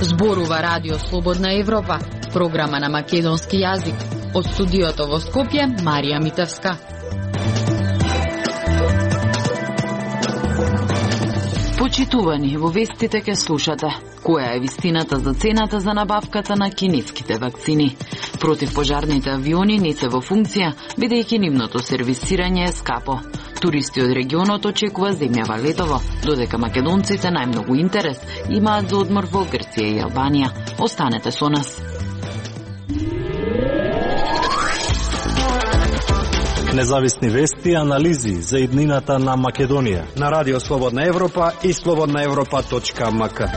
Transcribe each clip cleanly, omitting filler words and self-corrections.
Зборува Радио Слободна Европа, програма на македонски јазик. Од студиото во Скопје, Марија Митевска. Почитувани, во вестите ке слушате. Која е вистината за цената за набавката на кинеските вакцини? Противпожарните авиони не се во функција, бидејќи нивното сервисирање е скапо. Туристи од регионот очекува земјава летово, додека македонците најмногу интерес имаат за одмор во Грција и Албанија. Останете со нас. Независни вести и анализи за иднината на Македонија на Радио Слободна Европа и slobodnaevropa.mk.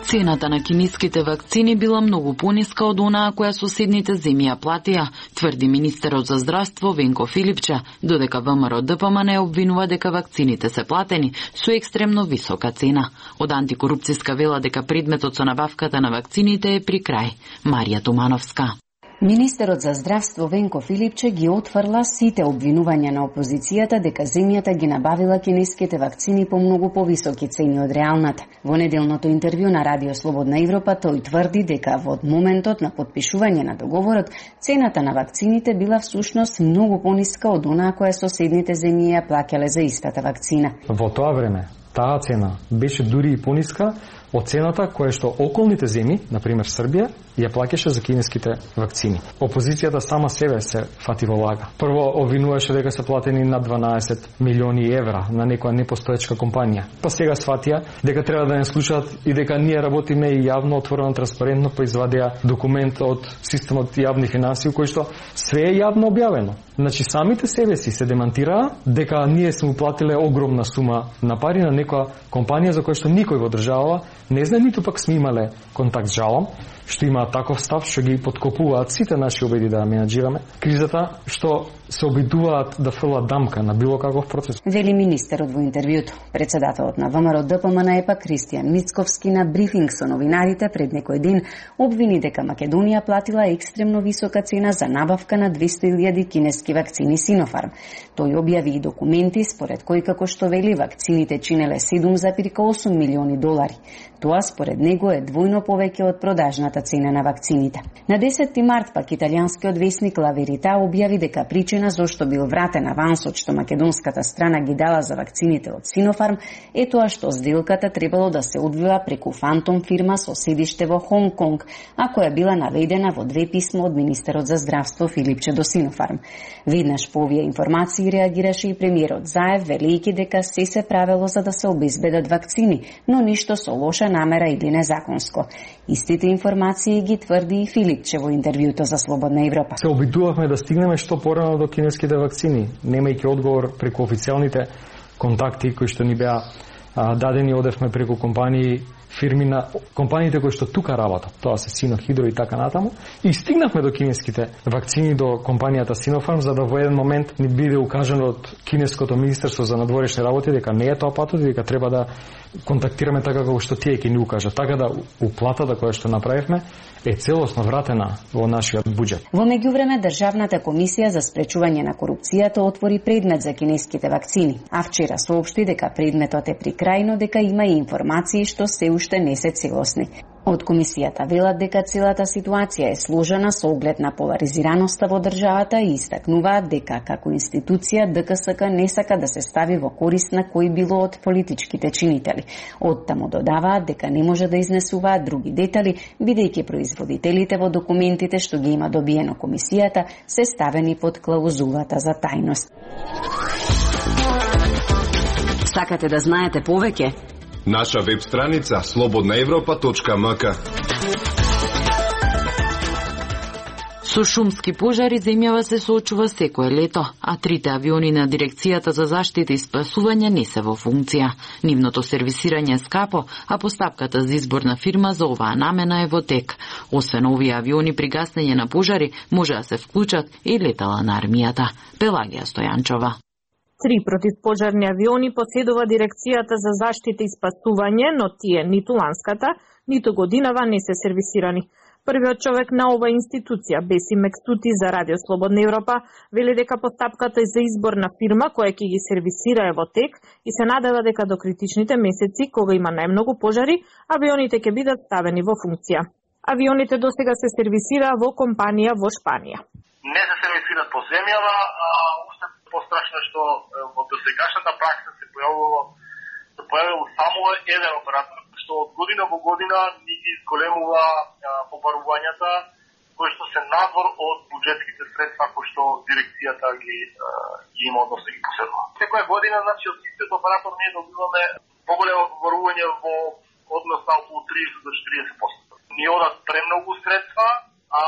Цената на кинеските вакцини била многу пониска од онаа која соседните земји ја платија, тврди министерот за здравство Венко Филипче, додека ВМРО ДПМН обвинува дека вакцините се платени со екстремно висока цена. Од антикорупцијска вела дека предметот со набавката на вакцините е при крај. Марија Тумановска. Министерот за здравство Венко Филипче ги отфрла сите обвинувања на опозицијата дека земјата ги набавила кинеските вакцини по многу повисоки цени од реалната. Во неделното интервју на Радио Слободна Европа тој тврди дека во моментот на потпишување на договорот цената на вакцините била всушност многу пониска од онаа која соседните земји ја плаќале за истата вакцина. Во тоа време таа цена беше дури и пониска од цената која што околните земји, например Србија, ја плаќаше за кинеските вакцини. Опозицијата сама себе се фати во лага. Прво обвинуваше дека се платени над 12 милиони евра на некоја непостоечка компанија. Па сега сватија дека треба да не слушаат и дека ние работиме и јавно, отворено, транспарентно, па извадија документ од системот јавни финансии кој што све е јавно објавено. Значи самите себе си се демантираа дека ние сме уплатиле огромна сума на пари на некоја компанија за која што никој во држава не знае, ниту пак сме имале контакт, жалам, што има таков став што ги подкопуваат сите наши обиди да менаџираме кризата, што се обидуваат да фрлат дамка на било каков процес. Вели министерот во интервјуто. Председателот на ВМРО ДПМН ЕПА Кристијан Мицковски на брифинг со новинарите пред некој ден обвини дека Македонија платила екстремно висока цена за набавка на 200.000 кинески вакцини Синофарм. Тој објави и документи според кои, како што вели, вакцините чинеле 7,8 милиони долари. Тоа според него е двојно повеќе од продажната цена на вакцините. На 10 март пак италијанскиот весник Ла Верита објави дека причина зошто бил вратен авансот што македонската страна ги дала за вакцините од Синофарм е тоа што сделката требало да се одвива преку фантом фирма со седиште во Хонг Конг, а која била наведена во две писма од министерот за здравство Филипче до Синофарм. Веднаш по овие информации реагираше и премиерот Заев, велејќи дека се правело за да се обезбедат вакцини, но ништо со лоша намера или незаконско. Истите информации ги тврди и Филипче во интервјуто за Слободна Европа. Се обидувавме да стигнеме што порано до кинеските вакцини, немајќи одговор преку официјалните контакти кои што ни беа дадени, одевме преку компании, фирми на компаниите кои што тука работат, тоа се Синохидро и така натаму, и стигнавме до кинеските вакцини, до компанијата Синофарм, за да во еден момент ни биде укажано од кинеското министерство за надворешни работи дека не е тоа патот и дека треба да контактираме така како што тие ќе ни укажат. Така да уплатата која што направивме е целосно вратена во нашиот буџет. Во меѓувреме Државната комисија за спречување на корупцијата отвори предмет за кинеските вакцини, а вчера соопшти дека предметот е при крај, но дека има и информации што се уште не се целосни. Од комисијата велат дека целата ситуација е сложена со оглед на поларизираноста во државата и истакнуваат дека како институција ДКСК не сака да се стави во корист на кој било од политичките чинители. Оттаму додаваат дека не може да изнесуваат други детали, бидејќи производителите во документите што ги има добиено комисијата се ставени под клаузулата за тајност. Сакате да знаете повеќе? Наша веб страница slobodnaevropa.mk. Со шумски пожари земјава се соочува секое лето, а трите авиони на Дирекцијата за заштита и спасување не се во функција. Нивното сервисирање е скапо, а постапката за избор на фирма за оваа намена е во тек. Освен овие авиони при гаснење на пожари може да се вклучат и летала на армијата. Пелагија Стојанчова. 3 противпожарни авиони поседува Дирекцијата за заштита и спасување, но тие ниту ланската, ниту годинава не се сервисирани. Првиот човек на ова институција, Бесим Мекстути за Радио Слободна Европа, вели дека постапката е за избор на фирма која ќе ги сервисира е во тек и се надева дека до критичните месеци, кога има најмногу пожари, авионите ќе бидат ставени во функција. Авионите досега се сервисираа во компанија во Шпанија. Не се сервисираат по земјава, уште пострашно што во досегашната пракса се појавил само еден оператор, што од година во година ни ги изголемува побарувањата кои што се надвор од буџетските средства кои што дирекцијата ги има, односно ги поседува. Секоја година, значи, од истиот оператор ние добиваме поголемо побарување во однос на околу 30 до 40%. Ни одат премногу средства, а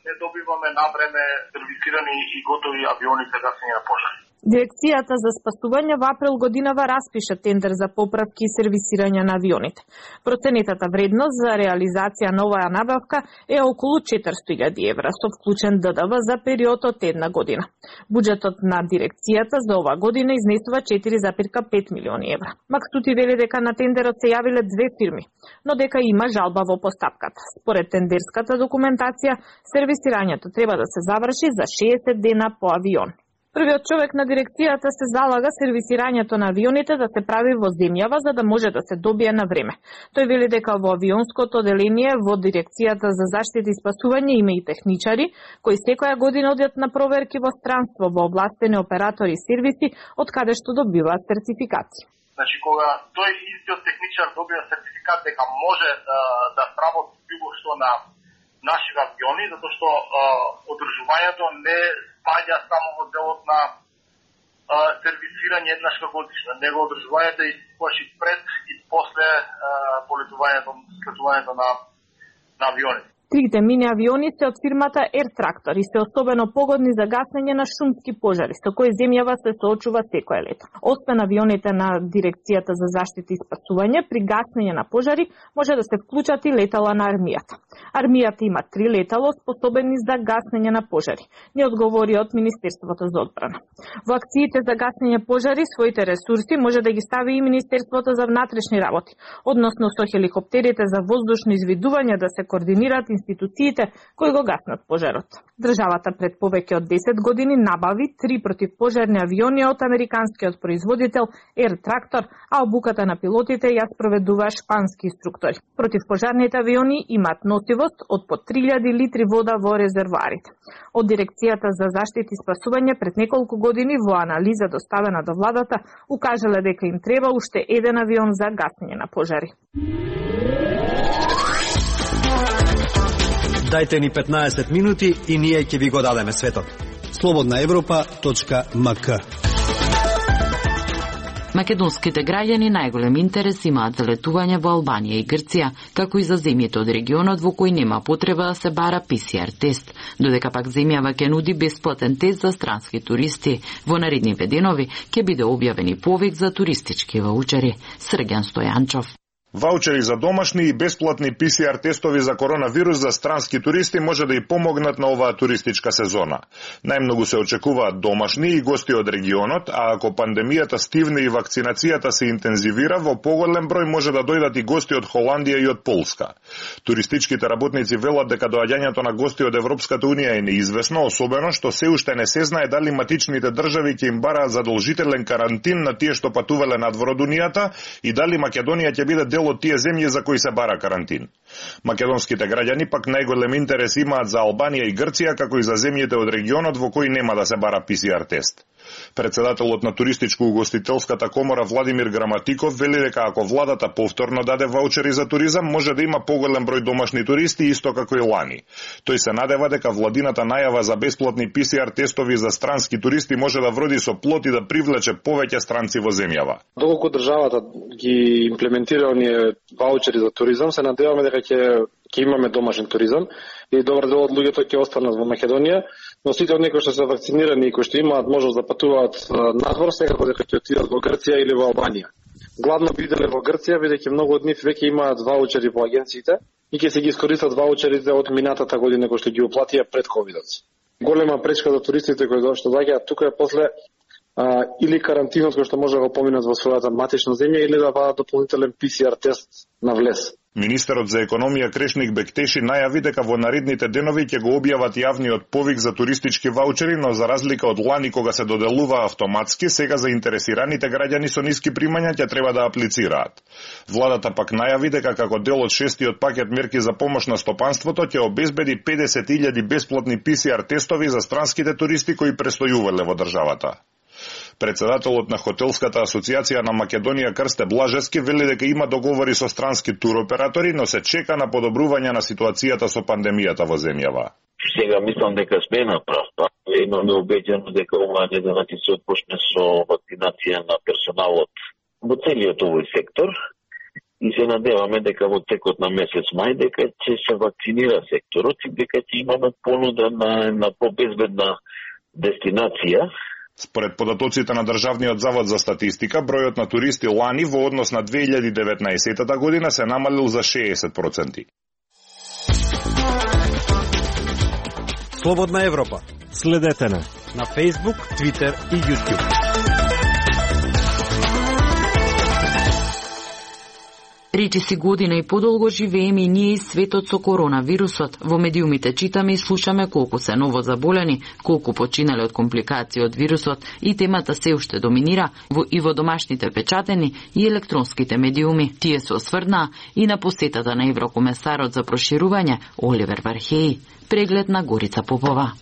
не добиваме на време сервисирани и готови авиони за гасење на пожари. Дирекцијата за спасување во април годинава распиша тендер за поправки и сервисирање на авионите. Проценетата вредност за реализација на оваа набавка е околу 400.000 евра, со вклучен ДДВ за период од една година. Буџетот на дирекцијата за оваа година изнесува 4,5 милиони евра. Макстути вели дека на тендерот се јавиле две фирми, но дека има жалба во постапката. Според тендерската документација, сервисирањето треба да се заврши за 60 дена по авион. Првиот човек на дирекцијата се залага сервисирањето на авионите да се прави во земјава за да може да се добие на време. Тој вели дека во авионското оделение во Дирекцијата за заштита и спасување има и техничари кои секоја година одат на проверки во странство во овластени оператори и сервиси од каде што добиваат сертификати. Значи кога тој истиот техничар добива сертификат дека може да сработи било што на нашите авиони, затоа што одржувањето не спаѓа само во делот на сервисирање еднаш годишно. Него одржувањето е и пред и после полетувањето на авионите. Трите мини авиони се од фирмата Air Tractor и се особено погодни за гаснење на шумски пожари, со кои земјава се соочува секое лето. Освен авионите на Дирекцијата за заштита и спасување, при гаснење на пожари може да се вклучат и летала на армијата. Армијата има 3 летало способени за гаснење на пожари, ни одговори од Министерството за одбрана. Во акциите за гаснење пожари своите ресурси може да ги стави и Министерството за внатрешни работи, односно со хеликоптерите за воздушно извидување да се координираат институциите кои го гаснат пожарот. Државата пред повеќе од 10 години набави 3 противпожарни авиони од американскиот производител Air Tractor, а обуката на пилотите ја спроведува шпански инструктори. Противпожарните авиони имаат носивост од по 3000 литри вода во резервоарите. Од Дирекцијата за заштита и спасување пред неколку години во анализа доставена до владата укажале дека им треба уште еден авион за гаснење на пожари. Дајте ни 15 минути и ние ќе ви го дадеме светот. slobodnaevropa.mk. Македонските граѓани најголем интерес имаат за летување во Албанија и Грција, како и за земјите од регионот во кој нема потреба да се бара ПСР тест, додека пак земјава ќе нуди бесплатен тест за странски туристи. Во наредните денови ќе биде објавени повик за туристички ваучери. Срѓан Стојанчов. Ваучери за домашни и бесплатни ПСР тестови за коронавирус за странски туристи може да и помогнат на оваа туристичка сезона. Најмногу се очекуваат домашни и гости од регионот, а ако пандемијата стивне и вакцинацијата се интензивира, во поголем број може да дојдат и гости од Холандија и од Полска. Туристичките работници велат дека доаѓањето на гости од Европската унија е неизвестно, особено што се уште не се знае дали матичните држави ќе им бараат задолжителен карантин на тие што патувале надвор од унијата и дали Македонија ќе биде дел од тие земји за кои се бара карантин. Македонските граѓани пак најголем интерес имаат за Албанија и Грција, како и за земјите од регионот во кои нема да се бара ПСР тест. Председателот на туристичко-угостителската комора Владимир Граматиков вели дека ако владата повторно даде ваучери за туризам, може да има поголем број домашни туристи, исто како и лани. Тој се надева дека владината најава за бесплатни ПСР тестови за странски туристи може да вроди со плод и да привлече повеќе странци во земјава. Доколку државата ги имплементира оние ваучери за туризам, се надеваме дека ќе имаме домашен туризам и добар дел од луѓето ќе останат во Македонија, но сите од некои што се вакцинирани и кои што имаат можност да патуваат надвор, секако дека ќе отидат во Грција или во Албанија. Гладно биделе во Грција, бидејќи многу од нив веќе имаат ваучери во агенциите и ќе се ги искористат ваучерите од минатата година кои што ги уплатија пред ковидот. Голема пречка за туристите кои што доаѓаат тука е после или карантинот кој што може да го поминат во својата матична земја или да вадат дополнителен PCR тест на влез. Министерот за економија Крешник Бектеши најави дека во наредните денови ќе го објават јавниот повик за туристички ваучери, но за разлика од лани кога се доделува автоматски, сега заинтересираните граѓани со ниски примања ќе треба да аплицираат. Владата пак најави дека како дел од 6-тиот пакет мерки за помош на стопанството ќе обезбеди 50.000 бесплатни PCR тестови за странските туристи кои престојувале во државата. Председателот на Хотелската асоциација на Македонија Крсте Блажевски вели дека има договори со странски туроператори, но се чека на подобрување на ситуацијата со пандемијата во земјава. Сега мислам дека сме на прав пат. Имаме убедено дека оваа недела ќе се отпочне со вакцинација на персоналот во целиот овој сектор и се надеваме дека во текот на месец мај дека ќе се вакцинира секторот и дека ќе имаме понуда на побезбедна дестинација. Според податоците на Државниот завод за статистика, бројот на туристи лани во однос на 2019 година се намалил за 60%. Слободна Европа. Следете на Facebook, Twitter и YouTube. Речиси година и подолго живееме и ние и светот со коронавирусот. Во медиумите читаме и слушаме колку се ново заболени, колку починале од компликации од вирусот и темата се уште доминира и во домашните печатени и електронските медиуми. Тие се осврнаа и на посетата на еврокомесарот за проширување Оливер Вархеи. Преглед на Горица Попова.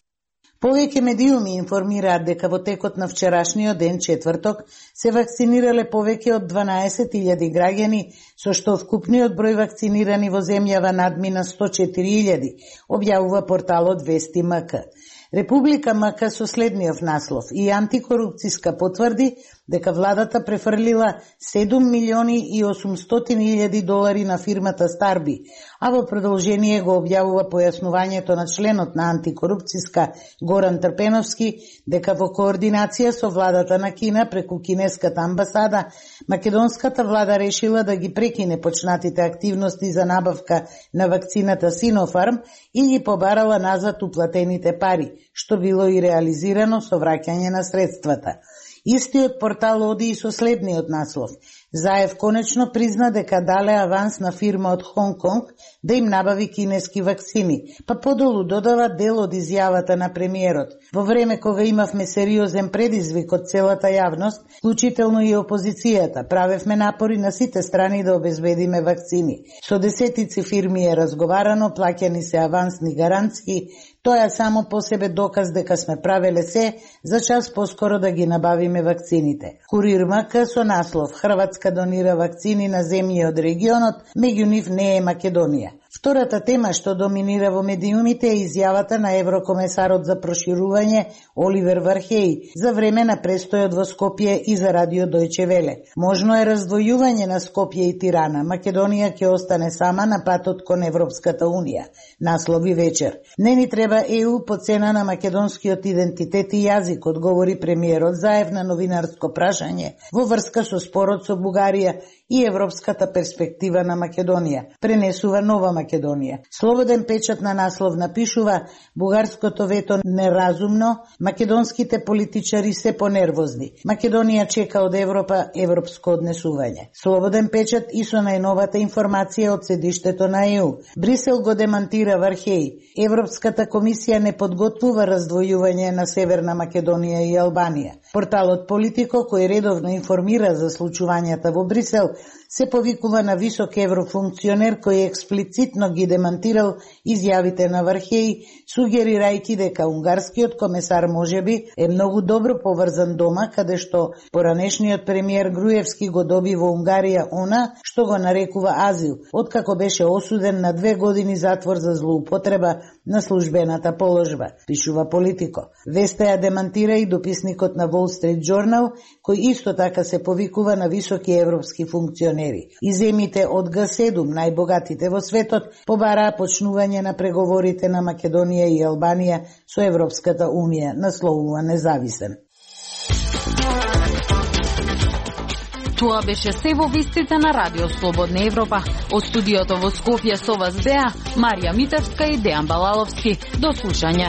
Повеќе медиуми информираат дека во текот на вчерашниот ден, четврток, се вакцинирале повеќе од 12.000 граѓани, со што вкупниот број вакцинирани во земјава надмина 104.000, објавува порталот Вести МК. Република МК со следниот наслов и антикорупцијска потврди дека владата префрлила 7.800.000 долари на фирмата Старби, а во продолжение го објавува појаснувањето на членот на антикорупцијска Горан Трпеновски дека во координација со владата на Кина преку кинеската амбасада, македонската влада решила да ги прекине почнатите активности за набавка на вакцината Синофарм и ги побарала назад уплатените пари, што било и реализирано со враќање на средствата. Истиот портал оди и со следниот наслов. Заев конечно призна дека дале аванс на фирма од Хонг Конг да им набави кинески вакцини, па подолу додава дел од изјавата на премиерот. Во време кога имавме сериозен предизвик од целата јавност, вклучително и опозицијата, правевме напори на сите страни да обезбедиме вакцини. Со десетици фирми е разговарано, плаќани се авансни гаранции, тоа само по себе доказ дека сме правеле се за час поскоро да ги набавиме вакцините. Курир МК со наслов Хрватска донира вакцини на земји од регионот, меѓу нив не е Македонија. Втората тема што доминира во медиумите е изјавата на еврокомесарот за проширување Оливер Вархеи за време на престојот во Скопје и за радио Дојче Веле. Можно е раздвојување на Скопје и Тирана. Македонија ќе остане сама на патот кон Европската унија. Наслови вечер. Не ни треба ЕУ по цена на македонскиот идентитет и јазик, одговори премиерот Заев на новинарско прашање во врска со спорот со Бугарија и европската перспектива на Македонија. Пренесува Нова Македонија. Слободен печат на наслов напишува: бугарското вето неразумно, македонските политичари се понервозни. Македонија чека од Европа европско однесување. Слободен печат и со најновата информација од седиштето на ЕУ. Брисел го демантира Вархеи. Европската комисија не подготвува раздвојување на Северна Македонија и Албанија. Порталот Политико, кој редовно информира за случувањата во Брисел, се повикува на висок еврофункционер кој експлицитно ги демантирал изјавите на Вархеи, сугерирајќи дека унгарскиот комесар можеби е многу добро поврзан дома, каде што поранешниот премиер Груевски го доби во Унгарија она што го нарекува азил, откако беше осуден на 2 години затвор за злоупотреба на службената положба, пишува Политико. Веста ја демантира и дописникот на Wall Street Journal, кој исто така се повикува на високи европски функционери. И земите од Г7, најбогатите во светот, побараа почнување на преговорите на Македонија и Албанија со Европската унија, насловува Независен. Тоа беше се во вестите на Радио Слободна Европа. Од студиото во Скопје со вас беа Марија Митевска и Дејан Балаловски. До слушање.